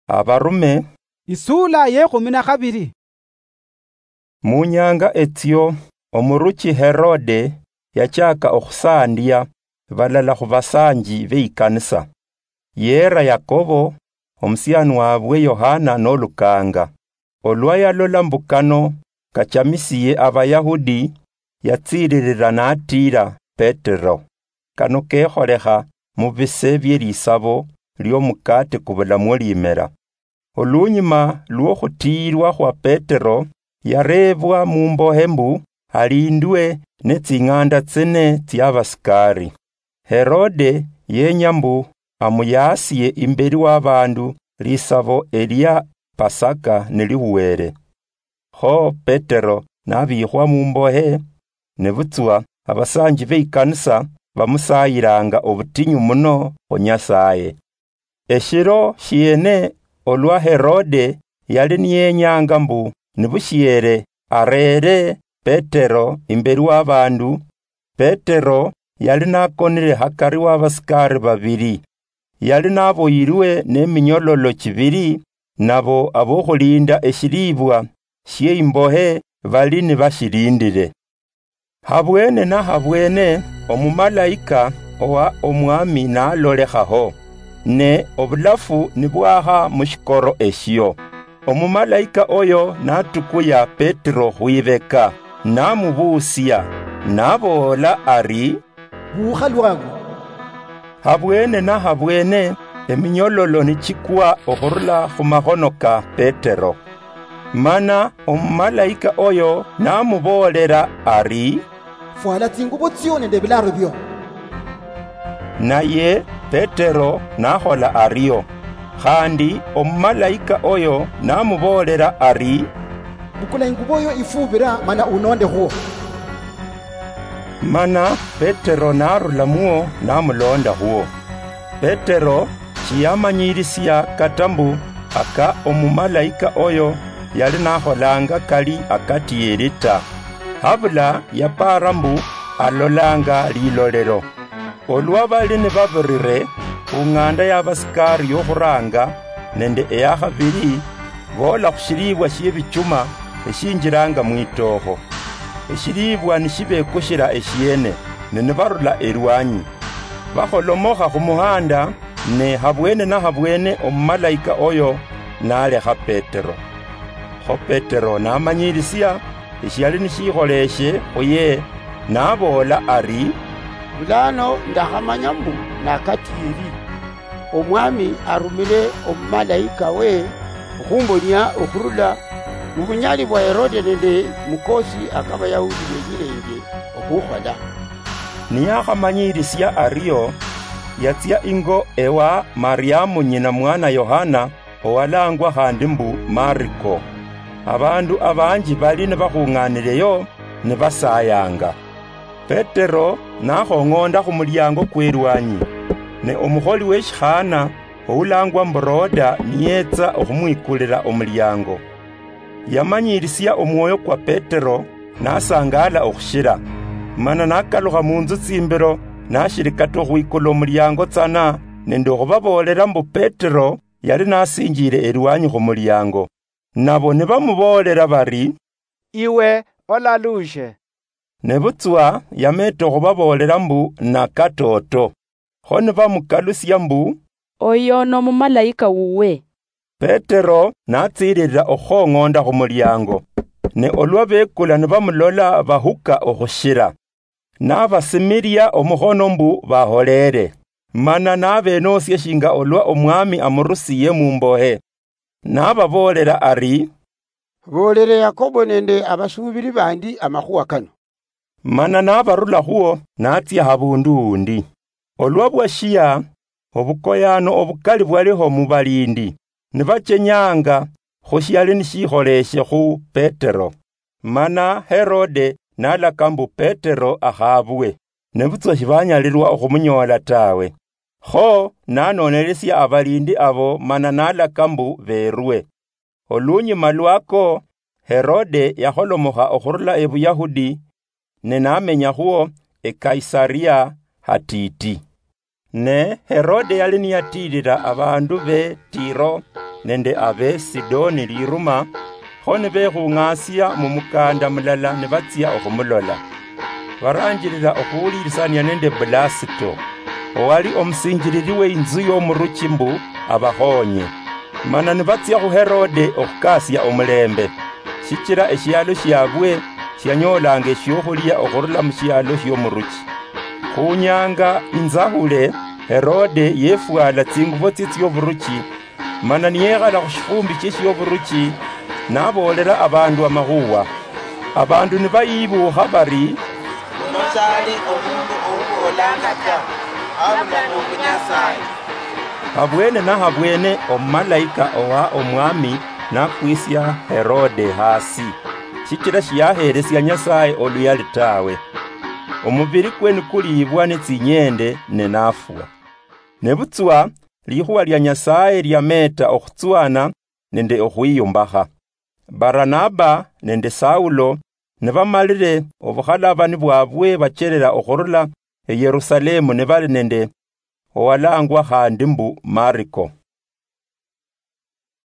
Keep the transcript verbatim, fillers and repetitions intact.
Abarume. Isuula yekhumi na khabiri. Mu nyanga etsio, omuruchi Herode yachaka okhusandia balala khu basanji beikanisa. Yeera Yakobo, omusiani wabwe Yohana nolukanga. Olwa yalola mbu kano kachamisiye Abayahudi, yatsiririra natiira Petero. Kano kekholekha mu bise bie lisabo liomukate kubulamwo limera. Olunyuma lwokhutiirwa khwa Petero, yareebwa mumbohe mbu alindwe ne tsing'anda tsine tsia basikari. Herode yenya mbu amuyaasie imberi wa bandu lisabo elia Pasaka nilihuwere. Kho Petero nabiikhwa mumbohe, nebutswa abasanji beikanisa bamusayilanga obutinyu muno khu Nyasaye. Eshiro shiene olwa Herode yali niyenyanga mbu nibushiere areere Petero imberi wa bandu, Petero yali nakonire hakari wa basikari babiri. Yali naboyirwe neminyololo chibiri, nabo abokhulinda eshilibwa shie imbohe bali nibashilindire. Habwene na habwene, omumalaika owa Omwami nalolekhaho, ne obulafu nibwakha mushikoro eshio. Omumalaika oyo natukuya Petero khwibeka, namubuusia, naboola ari, "Buukha lwangu." Habwene na habwene, eminyololo nichikwa okhurula khumakhono ka Petero. Mana omumalaika oyo namuboolera ari, "Fwala tsingubo tsio nende ebilaro bio." Naye Petero nakhola ario. Khandi omumalaika oyo namuboolera ari, "Bukula ingubo yo ifubira mana unonde khuo." Mana Petero narulamwo namulonda khuo. Petero shiyamanyirisia kata mbu aka omumalaika oyo yali nakholanga kali akatieri ta. Habula yapara mbu alolanga lilolero. Olwa bali nibabirire khung'anda ya basikari yokhuranga nende eyakhabiri, boola khushilibwa shiebichuma eshinjiranga mwitookho. Eshilibwa nishibekushira eshiene, ne nibarula elwanyi. Bakholomokha khumuhanda, ne habwene na habwene omumalaika oyo nalekha Petero. Kho Petero namanyirisia eshiali nishikholeshe khuye, naboola ari, "Bulano ndakhamanya mbu nakatieri. Omwami arumire omumalaika we okhumbonia okhurula mubunyali bwa Herode nende mukosi akabayahudi benyirenge okhukhola." Niyakhamanyirisia ario, yatsia ingo ewa Mariamu nyina mwana Yohana, owalangwa khandi mbu Mariko. Abandu abanji bali nibakhung'anireyo nibasayanga. Petero nakhong'onda khumuliango kwerwanyi, ne omukholi weshikhana oulangwa mbu Roda niyetsa okhumwikulira omuliango. Yamanyirisia omwoyo kwa Petero, nasangala okhushira. Mana nakalukha munzu tsimbiro, nashiri kata okhwikula omuliango tsana, nende okhubaboolera mbu Petero yali nasinjire erwanyi khumuliango. Nabo nibamuboolera bari, "Iwe olalushe." Nebutswa yameta okhubaboolera mbu nakatoto. Kho nibamukalusia mbu, "Oyo nomumalaika wuwe." Petero natsiririra okhukhong'onda khumuliango, ne olwa bekula nibamulola bahuka okhushira. Nabasimiria omukhono mbu baholere, mana nabenosia shinga olwa Omwami amurusiye mumbohe. Nababoolera ari, "Boolere Yakobo nende abasuubiri bandi amakhuwa kano." Mana nabarulakhuo natsia habundu undi. Olwa bwashia, obukoyano obukali bwaliho mubalindi, nibachenyanga khushiali nishikholeshe khu Petero. Mana Herode nalaka mbu Petero akhabwe, nebutswa shibanyalirwa okhumunyoola tawe. Kho nanonelesia abalindi abo mana nalaka mbu berwe. Olunyuma lwako, Herode yakholomokha okhurula eBuyahudi, ne namenyakhwo eKaisaria hatiti. Ne Herode yali niyatiirira abandu be Tiro nende abe Sidoni liruma, kho nibekhung'asia mumukanda mulala nibatsia okhumulola. Baranjirira okhuwulirisania nende Blasito, owali omusinjiriri weinzu yomuruchi mbu abakhonye. Mana nibatsia khu Herode okhukasia omulembe, shichira eshialo shiabwe shianyolanga eshiokhulia okhurula mushialo shiomuruchi. Khunyanga inzahule, Herode yefwala tsingubo tsie tsioburuchi, mana niyekhala khushifumbi shie shioburuchi, naboolera abandu amakhuwa. Abandu nibayibuukha bari, "Uno sali omundu ouboolanga ta, abula nobunyasaye." Habwene nahabwene omumalaika owa omwami nakwisia Herode hasi, shichira shiyaheresia Nyasaye oluyali tawe. Omubiri kwe nikuliibwa netsinyende ne nafwa. Nebutswa likhuwa lia Nyasaye liameeta okhutswana nende okhwiyumbakha. Baranaba nende Saulo nibamalire obukhalabani bwabwe bacherera okhurula eYerusalemu nibali nende owalangwa khandi mbu Mariko.